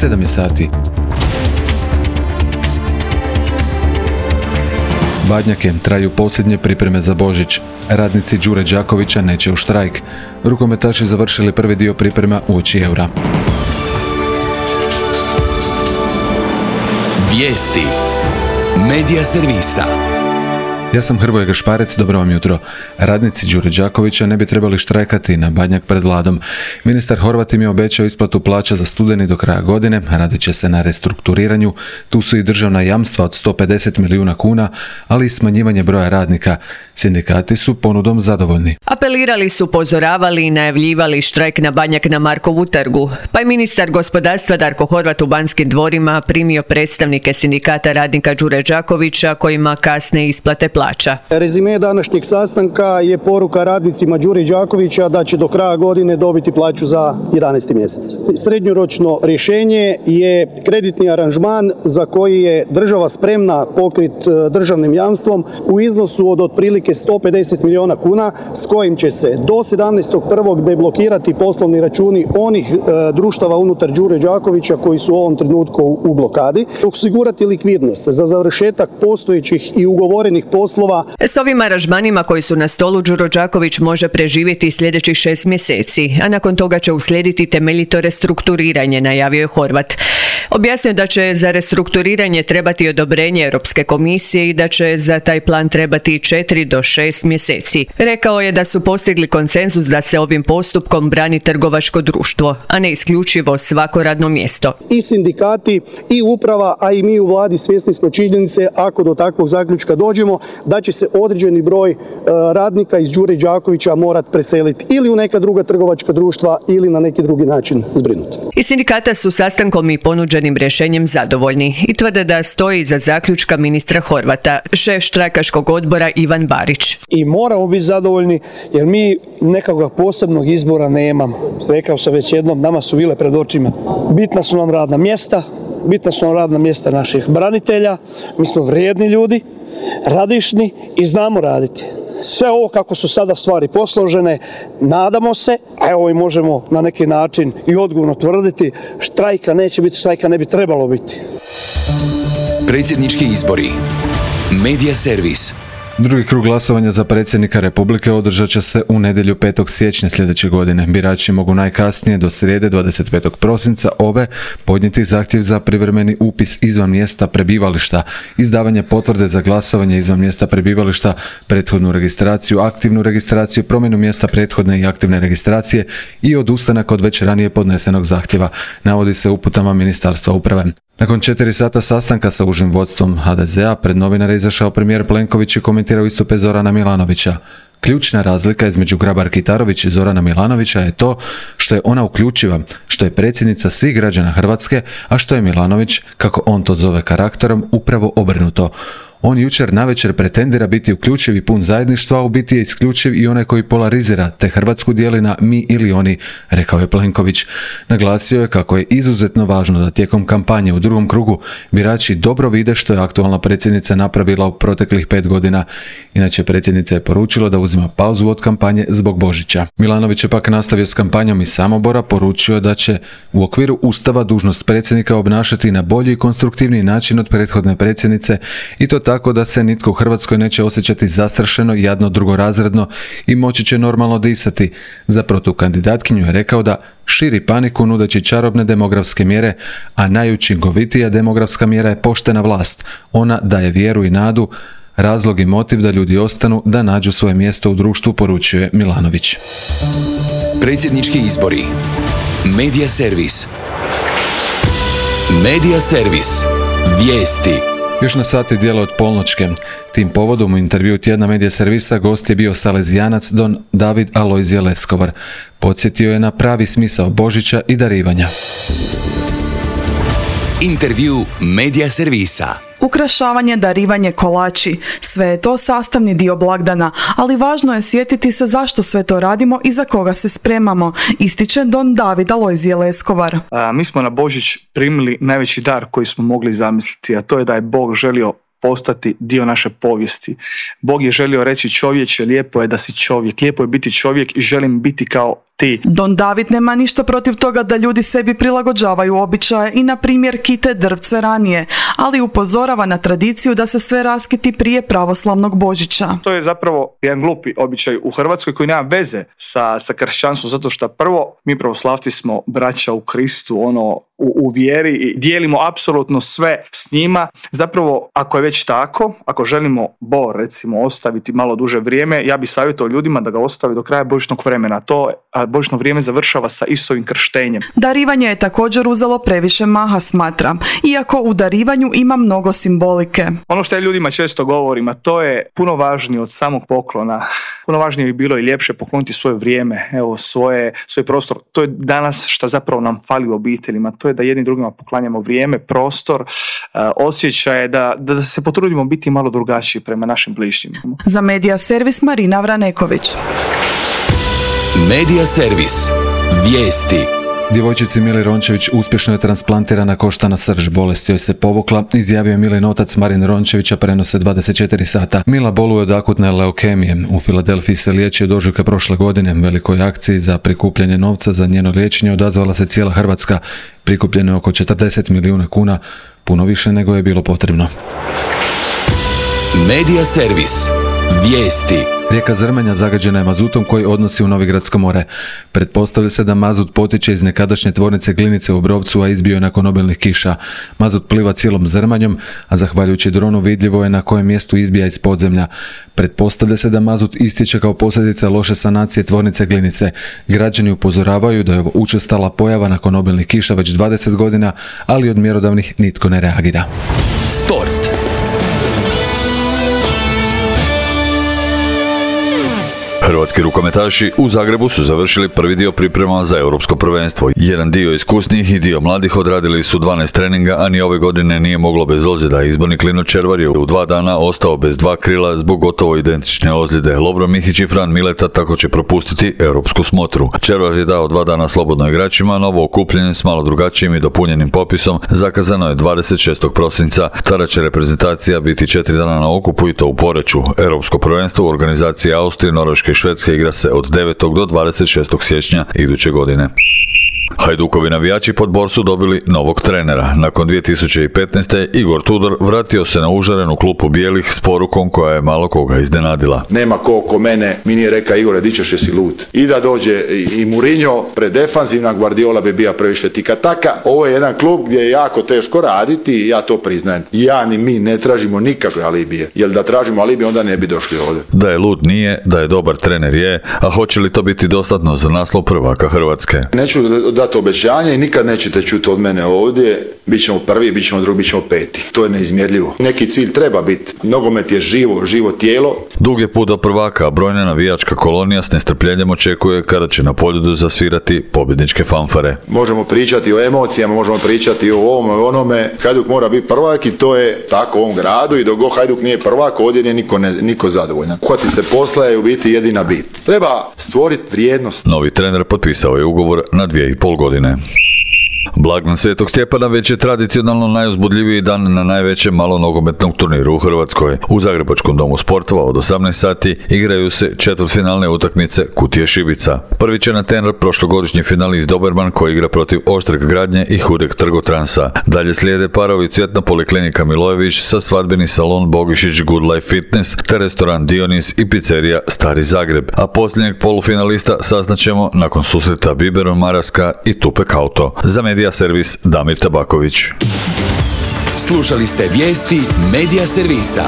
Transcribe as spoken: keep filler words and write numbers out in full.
sedam je sati. Badnjake, traju posljednje pripreme za Božić. Radnici Đure Đakovića neće u štrajk. Rukometaši završili prvi dio priprema uoči Eura. Vijesti Medija servisa. Ja sam Hrvoje Gašparec, dobro vam jutro. Radnici Đure Đakovića ne bi trebali štrajkati na Badnjak pred vladom. Ministar Horvat im je obećao isplatu plaća za studeni do kraja godine, radit će se na restrukturiranju. Tu su i državna jamstva od sto pedeset milijuna kuna, ali i smanjivanje broja radnika. Sindikati su ponudom zadovoljni. Apelirali su, upozoravali i najavljivali štrajk na Badnjak na Markovu trgu. Pa je ministar gospodarstva Darko Horvat u Banskim dvorima primio predstavnike sindikata radnika Đure Đakovića kojima kasne isplate plaća. Rezime današnjeg sastanka je poruka radnicima Đure Đakovića da će do kraja godine dobiti plaću za jedanaesti mjesec. Srednjoročno rješenje je kreditni aranžman za koji je država spremna pokriti državnim jamstvom u iznosu od otprilike sto pedeset milijuna kuna s kojim će se do sedamnaestog prvog deblokirati poslovni računi onih e, društava unutar Đure Đakovića koji su u ovom trenutku u, u blokadi, osigurati likvidnost za završetak postojećih i ugovorenih poslova. S ovim aranžmanima koji su na stolu Đuro Đaković može preživjeti sljedećih šest mjeseci, a nakon toga će uslijediti temeljito restrukturiranje, najavio je Horvat. Objasnio da će za restrukturiranje trebati odobrenje Europske komisije i da će za taj plan trebati četiri do šest mjeseci. Rekao je da su postigli konsenzus da se ovim postupkom brani trgovačko društvo, a ne isključivo svako radno mjesto. I sindikati i uprava, a i mi u vladi svjesni smo činjenice, ako do takvog zaključka dođemo, da će se određeni broj e, radnika iz Đure Đakovića morat preseliti ili u neka druga trgovačka društva ili na neki drugi način zbrinuti. I sindikata su sastankom i ponuđenim rješenjem zadovoljni i tvrde da stoji iza zaključka ministra Horvata, šef štrajkaškog odbora Ivan Barić. I moramo biti zadovoljni jer mi nekakvog posebnog izbora nemamo. Rekao sam već jednom, nama su vile pred očima. Bitna su nam radna mjesta, bitna su nam radna mjesta naših branitelja, mi smo vrijedni ljudi, radišni i znamo raditi. Sve ovo kako su sada stvari posložene, nadamo se, a evo i možemo na neki način i odgovorno tvrditi, štrajka neće biti, štrajka ne bi trebalo biti. Predsjednički izbori. Medija servis. Drugi krug glasovanja za predsjednika Republike održat će se u nedjelju petog siječnja sljedeće godine. Birači mogu najkasnije do srijede dvadeset petog prosinca ove podnijeti zahtjev za privremeni upis izvan mjesta prebivališta, izdavanje potvrde za glasovanje izvan mjesta prebivališta, prethodnu registraciju, aktivnu registraciju, promjenu mjesta prethodne i aktivne registracije i odustanak od već ranije podnesenog zahtjeva, navodi se u uputama Ministarstva uprave. Nakon četiri sata sastanka sa užim vodstvom ha de zea pred novinare izašao premijer Plenković i komentirao istupe Zorana Milanovića. Ključna razlika između Grabar-Kitarović i Zorana Milanovića je to što je ona uključiva, što je predsjednica svih građana Hrvatske, a što je Milanović, kako on to zove karakterom, upravo obrnuto. On jučer navečer pretendira biti uključiv i pun zajedništva, a u biti je isključiv i onaj koji polarizira, te Hrvatsku dijeli na mi ili oni, rekao je Plenković. Naglasio je kako je izuzetno važno da tijekom kampanje u drugom krugu birači dobro vide što je aktualna predsjednica napravila u proteklih pet godina. Inače, predsjednica je poručila da uzima pauzu od kampanje zbog Božića. Milanović je pak nastavio s kampanjom iz Samobora, poručio da će u okviru Ustava dužnost predsjednika obnašati na bolji i konstruktivniji način od prethodne predsjednice i to tako da se nitko u Hrvatskoj neće osjećati zastrašeno, jadno, drugorazredno i moći će normalno disati. Za protukandidatkinju je rekao da širi paniku nudeći čarobne demografske mjere, a najučinkovitija demografska mjera je poštena vlast. Ona daje vjeru i nadu, razlog i motiv da ljudi ostanu, da nađu svoje mjesto u društvu, poručuje Milanović. Predsjednički izbori. Medija servis. Medija servis. Vijesti. Još na sati dijela od polnoćke. Tim povodom u intervju tjedna Medija servisa gost je bio salezijanac don David Alojzije Leskovar. Podsjetio je na pravi smisao Božića i darivanja. Intervju Medija servisa. Ukrašavanje, darivanje, kolači, sve je to sastavni dio blagdana, ali važno je sjetiti se zašto sve to radimo i za koga se spremamo, ističe don David Alojzije Leskovar. A, mi smo na Božić primili najveći dar koji smo mogli zamisliti, a to je da je Bog želio postati dio naše povijesti. Bog je želio reći: čovječe, lijepo je da si čovjek, lijepo je biti čovjek i želim biti kao ti. Don David nema ništa protiv toga da ljudi sebi prilagođavaju običaje i na primjer kite drvce ranije, ali upozorava na tradiciju da se sve raskiti prije pravoslavnog Božića. To je zapravo jedan glupi običaj u Hrvatskoj koji nema veze sa, sa kršćanstvom, zato što prvo mi pravoslavci smo braća u Kristu, ono u, u vjeri i dijelimo apsolutno sve s njima. Zapravo, ako je već tako, ako želimo Bor recimo ostaviti malo duže vrijeme, ja bih savjetovao ljudima da ga ostavi do kraja božićnog vremena. To a božićno vrijeme završava sa Isusovim krštenjem. Darivanje je također uzelo previše maha, smatra, iako u darivanju ima mnogo simbolike. Ono što ja ljudima često govorim, a to je puno važnije od samog poklona. Puno važnije bi bilo i ljepše pokloniti svoje vrijeme, evo svoje, svoj prostor. To je danas što zapravo nam fali u obiteljima. To je da jedni drugima poklanjamo vrijeme, prostor, uh, osjećaje, da, da se potrudimo biti malo drugačiji prema našim bližnjima. Za Medija servis Marina Vraneković. Medija servis. Vijesti. Djevojčici Mili Rončević uspješno je transplantirana koštana srž, bolest joj se povukla, izjavio je Milin otac Marin Rončevića, prenose dvadeset četiri sata. Mila boluje od akutne leukemije. U Filadelfiji se liječi od ožujka prošle godine. Velikoj akciji za prikupljanje novca za njeno liječenje odazvala se cijela Hrvatska. Prikupljeno je oko četrdeset milijuna kuna, puno više nego je bilo potrebno. Medija servis. Vijesti. Rijeka Zrmanja zagađena je mazutom koji odnosi u Novigradsko more. Pretpostavlja se da mazut potiče iz nekadašnje tvornice Glinice u Obrovcu, a izbio je nakon obilnih kiša. Mazut pliva cijelom Zrmanjom, a zahvaljujući dronu vidljivo je na kojem mjestu izbija iz podzemlja. Pretpostavlja se da mazut istječe kao posljedica loše sanacije tvornice Glinice. Građani upozoravaju da je ovo učestala pojava nakon obilnih kiša već dvadeset godina, ali od mjerodavnih nitko ne reagira. Sport. Hrvatski rukometaši u Zagrebu su završili prvi dio priprema za europsko prvenstvo. Jedan dio iskusnijih i dio mladih odradili su dvanaest treninga, a ni ove godine nije moglo bez ozljeda. Izbornik Klino Červar je u dva dana ostao bez dva krila zbog gotovo identične ozljede. Lovro Mihić i Fran Mileta tako će propustiti europsku smotru. Červar je dao dva dana slobodno igračima, novo okupljenje s malo drugačijim i dopunjenim popisom zakazano je dvadeset šestog prosinca. Tada će reprezentacija biti četiri dana na okupu i to u Poreču. Europsko prvenstvo u organizaciji Austrije, Norveške i Švedske igra se od devetog do dvadeset šestog siječnja iduće godine. Hajdukovi navijači pod Bor su dobili novog trenera. Nakon dvije tisuće petnaeste. Igor Tudor vratio se na užarenu klupu bijelih s porukom koja je malo koga iznenadila. Nema ko oko mene mi nije rekao Igore di ćeš jesi lud. I da dođe i Mourinho predefanzivna, Guardiola bi bio previše tika-taka. Ovo je jedan klub gdje je jako teško raditi i ja to priznajem. Ja ni mi ne tražimo nikakve alibije. Jer da tražimo alibije onda ne bi došli ovdje. Da je lud nije, da je dobar trener je, a hoće li to biti dostatno za naslov prvaka Hrvatske? Neću dati obećanje i nikad nećete čuti od mene ovdje. Bićemo prvi, bićemo drugi, bićemo peti. To je neizmjerljivo. Neki cilj treba biti. Nogomet je živo, živo tijelo. Dug je put do prvaka, a brojna navijačka kolonija s nestrpljenjem očekuje kada će na Poljudu zasvirati pobjedničke fanfare. Možemo pričati o emocijama, možemo pričati o ovome, o onome. Hajduk mora biti prvak i to je tako u ovom gradu i dok god Hajduk nije prvak, ovdje nije niko, ne, niko zadovoljan. Hvati se posla je u biti jedina bit. Treba stvoriti vrijednost. Novi trener potpisao je ugovor na dvije i pol godine. Blagdan Svetog Stjepana već je tradicionalno najuzbudljiviji dan na najvećem malonogometnom turniru u Hrvatskoj. U Zagrebačkom domu sportova od osamnaest sati igraju se četvrtfinalne utakmice Kutije Šibica. Prvi će na tener prošlogodišnji finalist Doberman koji igra protiv Oštreg Gradnje i Hudeg Trgotransa. Dalje slijede parovi Cvjetna poliklinika Milojević sa svadbeni salon Bogišić Good Life Fitness te restoran Dionis i pizzerija Stari Zagreb. A posljednjeg polufinalista saznaćemo nakon susreta Biberon Maraska i Tupek Auto. Za Medija servis Damir Tabaković. Slušali ste vijesti Medija servisa.